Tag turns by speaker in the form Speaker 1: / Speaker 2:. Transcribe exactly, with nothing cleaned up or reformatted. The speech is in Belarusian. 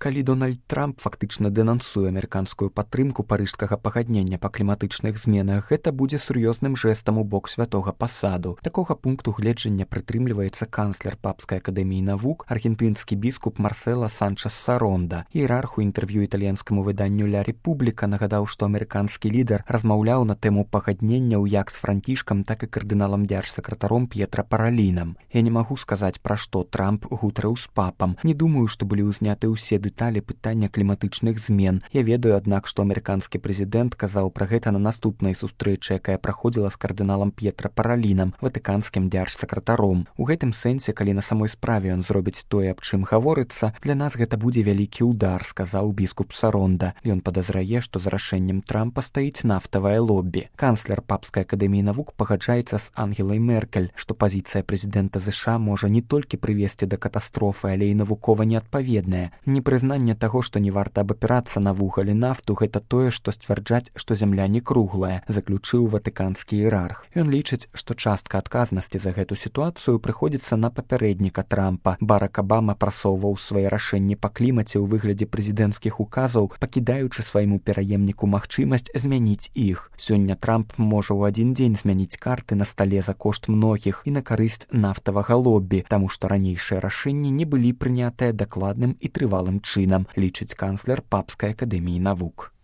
Speaker 1: калі Дональд Трамп фактычна дэнансуе амерыканскую падтрымку парыжскага пагаднення па кліматычных зменах, гэта будзе сур'ёзным жэстам у бок святога пасаду. Такога пункту гледжання прытрымліваецца канцлер Папскай акадэміі навук, аргентынскі біскуп Марсела Санчес Саронда. Іерарх у інтэрв'ю італьянскаму выданню «Ля Рэпубліка» нагадаў, што амерыканскі лідар размаўляў на тэму пагадненняў як з Францішкам, так і кардыналам дзяржсакратаром П'етра Паралінам. Я не магу сказаць, пра што Трамп гутарыў з папам. Не думаю, што былі ўзняты ўсе дэталі пытання кліматычных змен. Я ведаю, аднак, што амерыканскі прэзідэнт казаў пра гэта на наступнай сустрэчы, якая праходзіла з кардыналам П'етра Паралінам, ватыканскім дзяржсакратаром. У гэтым сэнсе, калі на самой справе ён зробіць тое, аб чым гаворыцца, для нас гэта будзе вялікі ўдар, сказаў біскуп Саронда. Ён падазрае, што за рашэннем Трампа стаіць нафтавае лоббі. Канцлер Папскай акадэміі навук пагаджаецца з Ангелай Меркель, што пазіцыя прэзідэнта ЗША можа не толькі прывесці да катастрофы, але і навукова неадпаведная. Непрызнанне таго, што не варта абапірацца на вугаль і нафту, гэта тое, што сцвярджаць, што зямля не круглая, заключыў ватыканскі іерарх. Ён лічыць, што частка адказнасці за гэту сітуацыю прыходзіцца на папярэдніка Трампа. Барак Абама прасоўваў свае рашэнні па клімаце ў выглядзе прэзідэнцкіх указаў, пакідаючы свайму пераемніку магчымасць змяніць іх. Сёння Трамп можа ў адзін дзень змяніць карты на стале за кошт многіх і на карысць нафтавага лоббі, таму што ранейшыя рашэнні не былі прынятыя дакладным і трывалым чынам, лічыць канцлер Папскай акадэміі навук.